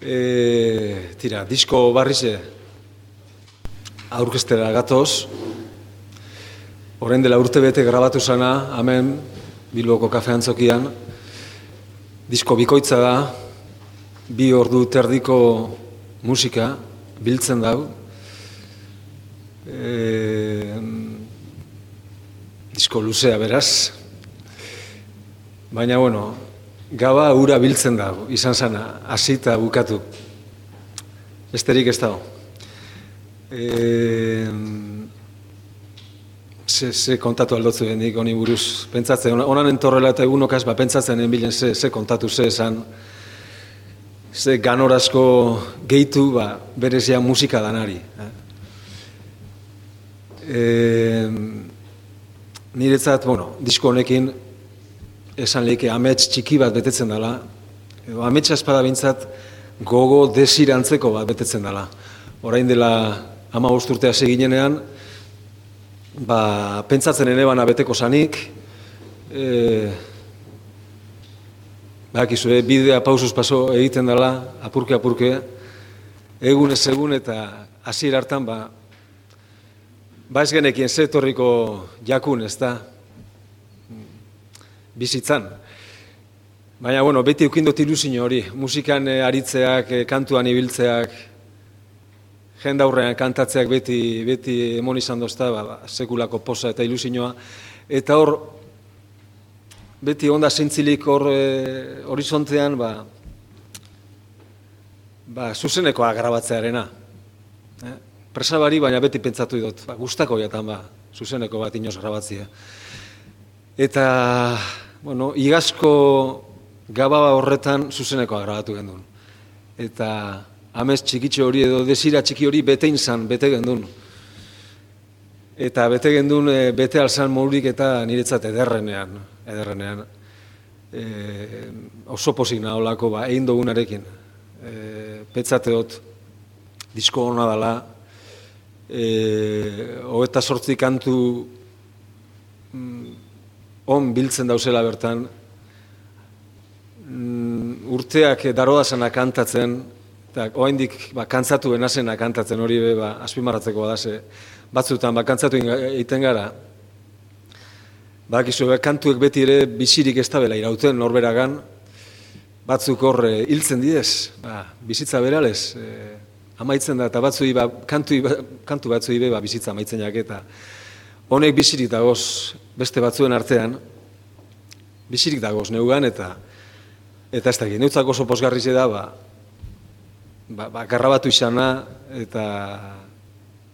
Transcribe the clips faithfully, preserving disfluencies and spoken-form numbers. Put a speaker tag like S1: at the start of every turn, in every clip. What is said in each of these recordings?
S1: E, tira, disko barrize aurkestera gatoz. Orain dela urte bete grabatu zana, hemen Bilboko kafe antzokian. Disko bikoitza da, bi ordu terdiko musika biltzen dau. E, disko luzea beraz. Baina, bueno, gaba ura biltzen dago, izan zana, hasita bukatu. Besterik ez dago. E, ze, ze kontatu aldotzu bendik, honi buruz, pentsatzen, onan entorrela eta egunokaz, ba, pentsatzen enbilen ze, ze kontatu, ze esan, ze ganorazko gehitu, ba, berezia musika danari. Eh? E, niretzat, bueno, disko honekin, esan lehike amets txiki bat betetzen dela, edo ametsa espada bintzat gogo desirantzeko bat betetzen dela. Orain dela hamabost urtea seginenean, ba, pentsatzen ene bana beteko zanik, e, bakizue, bidea pausuz paso egiten dela, apurke-apurke, egun ez egun eta hasiera hartan, ba, ba ez genekien zetorriko jakun, ez da, bizitzan. Baina, bueno, beti eukindot ilusio hori, musikan e, aritzeak, e, kantuan ibiltzeak, jendaurrean kantatzeak beti, beti emon izan dozta, ba, ba, sekulako posa eta ilusioa. Eta hor, beti onda zintzilik hor e, horizontean, ba, ba, zuzenekoa grabatzearena. Eh? Presabari, baina beti pentsatu dut, ba, gustako jatan, ba, zuzeneko bat inoz grabatzea. Eta, bueno, igazko gababa horretan zuzenekoa grabatu gendun. Eta amez txikitxo hori edo desira txiki hori betein zan, bete gendun. Eta bete gendun, e, bete alzan morurik eta niretzat ederrenean. Ederrenean. E, oso pozik naholako, ba, egin dugunarekin. E, Petzateot, disko hona dela, e, hogeita sortzi kantu on biltzen dauzela bertan, mm, urteak darodazena kantatzen, eta oaindik ba, kantzatu benazena kantatzen hori be, ba, azpimarratzeko badase, batzutan ba, kantzatu egiten gara. Bakizu, ba, kantuek beti ere bizirik ez da bela irauten norberagan, batzuk hor e, hiltzen didez, ba, bizitza beralez, e, amaitzen da, eta batzui, ba, kantu, kantu batzui be, ba, bizitza amaitzen jaketa. Honek bizirik dagoz beste batzuen artean, bizirik dagoz neugan, eta eta ez dakit, neutzako oso posgarrize da, ba, ba, ba, garrabatu izana, eta,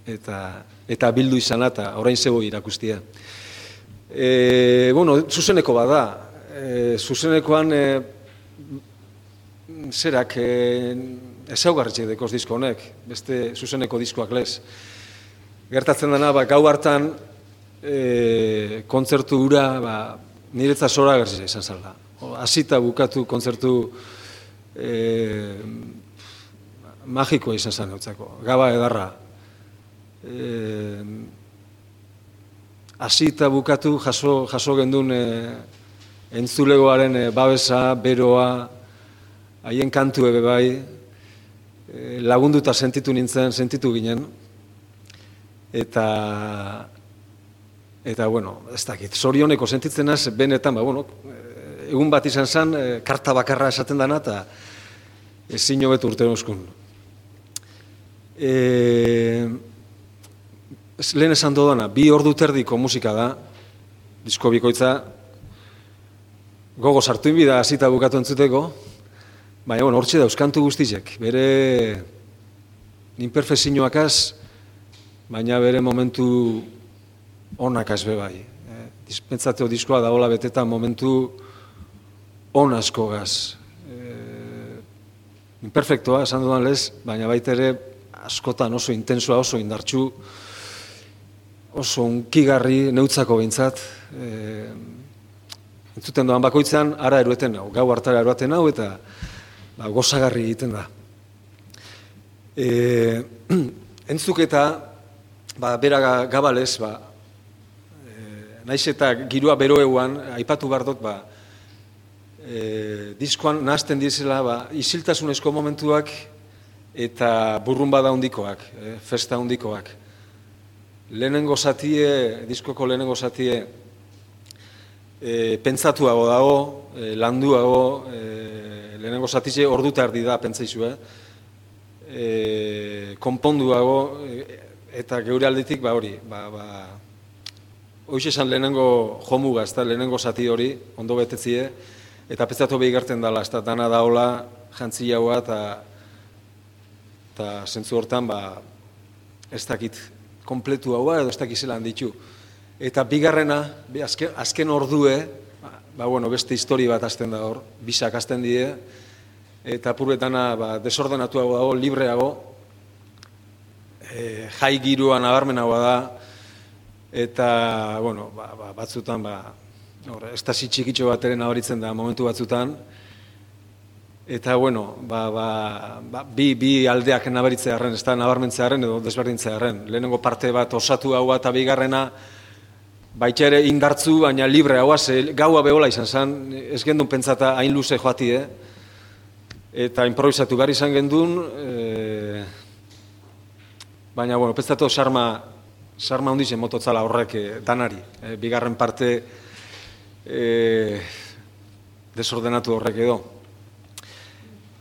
S1: eta, eta bildu izana, eta orain zebo irakustia. E, bueno, zuzeneko bada, e, zuzenekoan, e, zerak, e, ezaugarritxek dekoz disko honek, beste zuzeneko diskoak lez. Gertatzen dena, ba, gau hartan, E, kontzertu hura ba, niretza zora garzia izan zala. Hasita bukatu kontzertu e, magikoa izan zan eutzako. Gaba edarra. Hasita e, bukatu jaso, jaso gendun e, entzulegoaren e, babesa, beroa, haien kantu ebe bai, e, lagunduta sentitu nintzen, sentitu ginen. Eta Eta, bueno, ez dakit, zorioneko sentitzen az, benetan, ba, bueno, egun bat izan zen, karta bakarra esaten dana, eta ezin hobetu urte euskun. E, lehen esan dodana, bi ordu terdiko musika da, disko bikoitza, gogo sartu inbida hasita bukatu entzuteko, baina, bueno, hortxe dauzkantu guztizek, bere imperfezioakaz, baina bere momentu onak azbe bai. Eh, Dispentsateo diskoa da hola betetan momentu on asko gaz. Eh, imperfektoa, esan dudan lez, baina baita ere askotan oso intensoa, oso indartxu, oso unkigarri neutzako behintzat. Eh, entzuten doan bakoitzean, ara erueten hau, gau hartara eruaten hau, eta ba, gozagarri egiten da. Eh, entzuketa, ba, bera gabalez, ba, naiz eta girua beroeuan, aipatu behar dut, ba, e, diskoan nahazten dizela ba, isiltasunezko momentuak eta burrunbada handikoak, e, festa handikoak. Lehenengo zatie, diskoko lehenengo zatie, e, pentsatuago dago, e, landuago, e, lehenengo zatize orduta erdi da, pentsaizue, e, konponduago, e, eta geure aldetik, ba hori, ba, ba, hoiz esan lehenengo jomuga, ez da, lehenengo zati hori, ondo betetzie, eta pentsatu behigartzen dela, ez da, dana daola, jantzi jaua, eta eta zentzu hortan, ba, ez dakit, kompletu haua, edo ez dakit zelan ditu. Eta bigarrena, azken, azken ordue, ba, ba, bueno, beste histori bat hasten da hor, bisak hasten die, eta purbetana, ba, desordenatuago dago, libreago, e, jai giroan nabarmenagoa da, eta, bueno, ba, ba, batzutan, ba, estasi txikitxo bat ere nabaritzen da momentu batzutan, eta, bueno, ba, ba, ba, bi, bi aldeak nabaritzearen, ez da nabarmentzearen edo desberdintzearen. Lehenengo parte bat osatu haua eta bigarrena, baita ere indartzu, baina libre haua, ze gaua behola izan zen, ez gendun pentsata hain luze joatie, eta improvisatu behar izan gendun, e, baina, bueno, pentsatu sarma, sarma hundizen mototzala horrek e, danari. E, bigarren parte e, desordenatu horrek edo.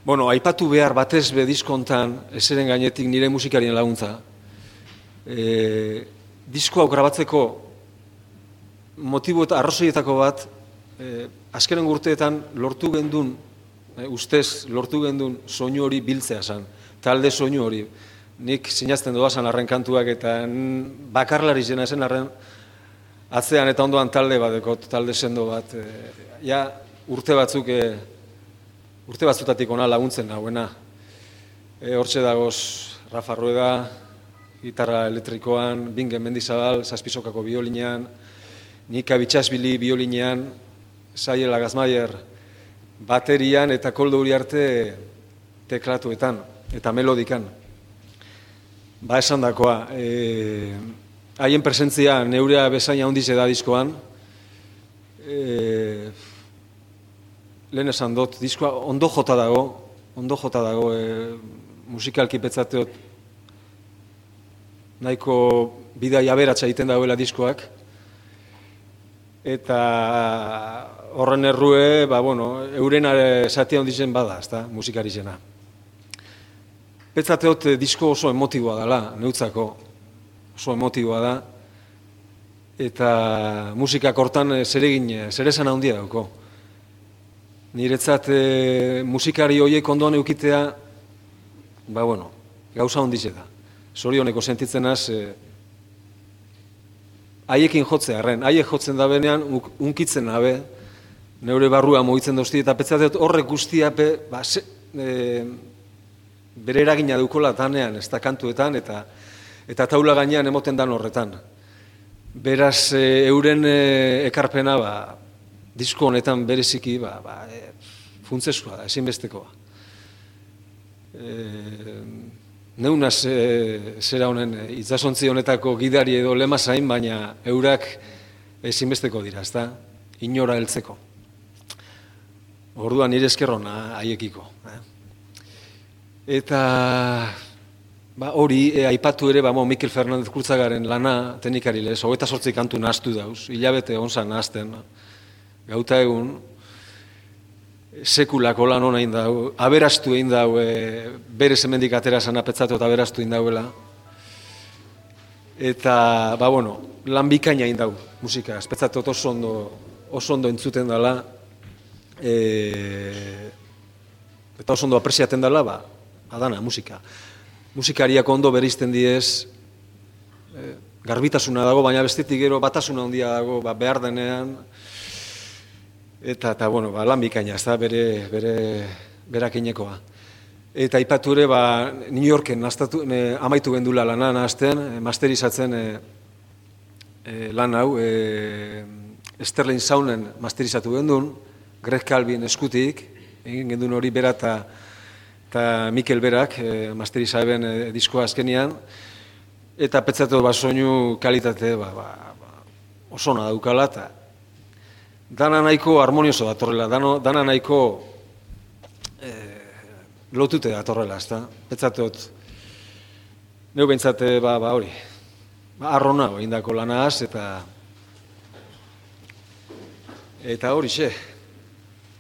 S1: Bueno, aipatu behar batez be diskontan, ezeren gainetik nire musikarien laguntza. E, disko hau grabatzeko motibo eta arrazoietako bat, e, azkenen urteetan lortu gendun, e, ustez lortu gendun soinu hori biltzea zen, talde soinu hori. Nik sinazten doazan arren kantuak eta bakarlari zena zen arren atzean eta ondoan talde bat, dekot, talde sendo bat. E, ja, urte batzuk, e, urte batzutatik ona laguntzen nagoena. E, hortxe dagoz Rafa Rueda, gitarra elektrikoan, Bingen Mendizabal, zazpizokako biolinean, Nika Bitxasbili biolinean, Zaiela Gazmaier baterian eta Koldo Uriarte teklatuetan eta melodikan. Ba esan dakoa, e, haien presentzia neurea bezaina handize da diskoan, e, lehen esan dut, diskoa ondo jota dago, ondo jota dago, e, musikalki petzateot nahiko bidai aberatsa egiten dagoela diskoak, eta horren errue, ba, bueno, euren zatia ondizen bada, ezta, musikari zena. Petzateot disko oso emotiboa dela, neutzako, oso emotiboa da, eta musikak hortan zeregin, zeresan handia dauko. Niretzat e, musikari horiek ondoan eukitea, ba, bueno, gauza hondize da. Zorioneko sentitzen az, e, haiekin jotzea, arren, haiek jotzen da benean, unkitzen nabe, neure barrua mogitzen dozti, eta petzateot horrek guztia, be, ba, se, e, bere eragina dukola danean, ez da kantuetan, eta, eta taula gainean emoten dan horretan. Beraz, e, euren e, ekarpena, ba, disko honetan bereziki, ba, ba, e, funtsezkoa da, ezinbestekoa. E, neunaz e, zera honen, e, itsasontzi honetako gidari edo lemazain, baina eurak ezinbesteko dira, ez da, inora heltzeko. Orduan nire eskerrona haiekiko. Eh? Eta ba, hori, e, aipatu ere, ba, mo, Mikel Fernandez Kurtzagaren lana teknikari lez, hogeita sortzi kantu nahaztu dauz, hilabete onzan nahazten, gauta egun, sekulako lan hona egin dau, aberastu egin dau, e, bere zemendik atera zan apetzatu eta aberastu egin dauela. Eta, ba, bueno, lan bikaina egin dau, musika, espetzatu oso ondo, oso ondo entzuten dela, e, eta oso ondo apresiaten dela, ba, adana, musika. Musikariak ondo bereizten diez, e, garbitasuna dago, baina bestetik gero batasuna handia dago, ba, behar denean, eta, eta bueno, ba, lan bikaina, ez da, bere, bere, berakinekoa. Eta aipatu ere, ba, New Yorken nastatu, e, amaitu gendula lana nahazten, e, masterizatzen e, e, lan hau, e, Sterling Saunen masterizatu gendun, Greg Calvin eskutik, egin gendun hori bera eta eta Mikel Berak, e, masterizaeben e, diskoa azkenian, eta petzatu ba, soinu kalitate ba, ba, ba, osona daukala, eta dana nahiko harmonioso datorrela, dano, dana nahiko e, lotute datorrela, ez da? Betzatot, neu bentsate, ba, ba hori, ba, arrona, indako lanaz, eta eta hori xe.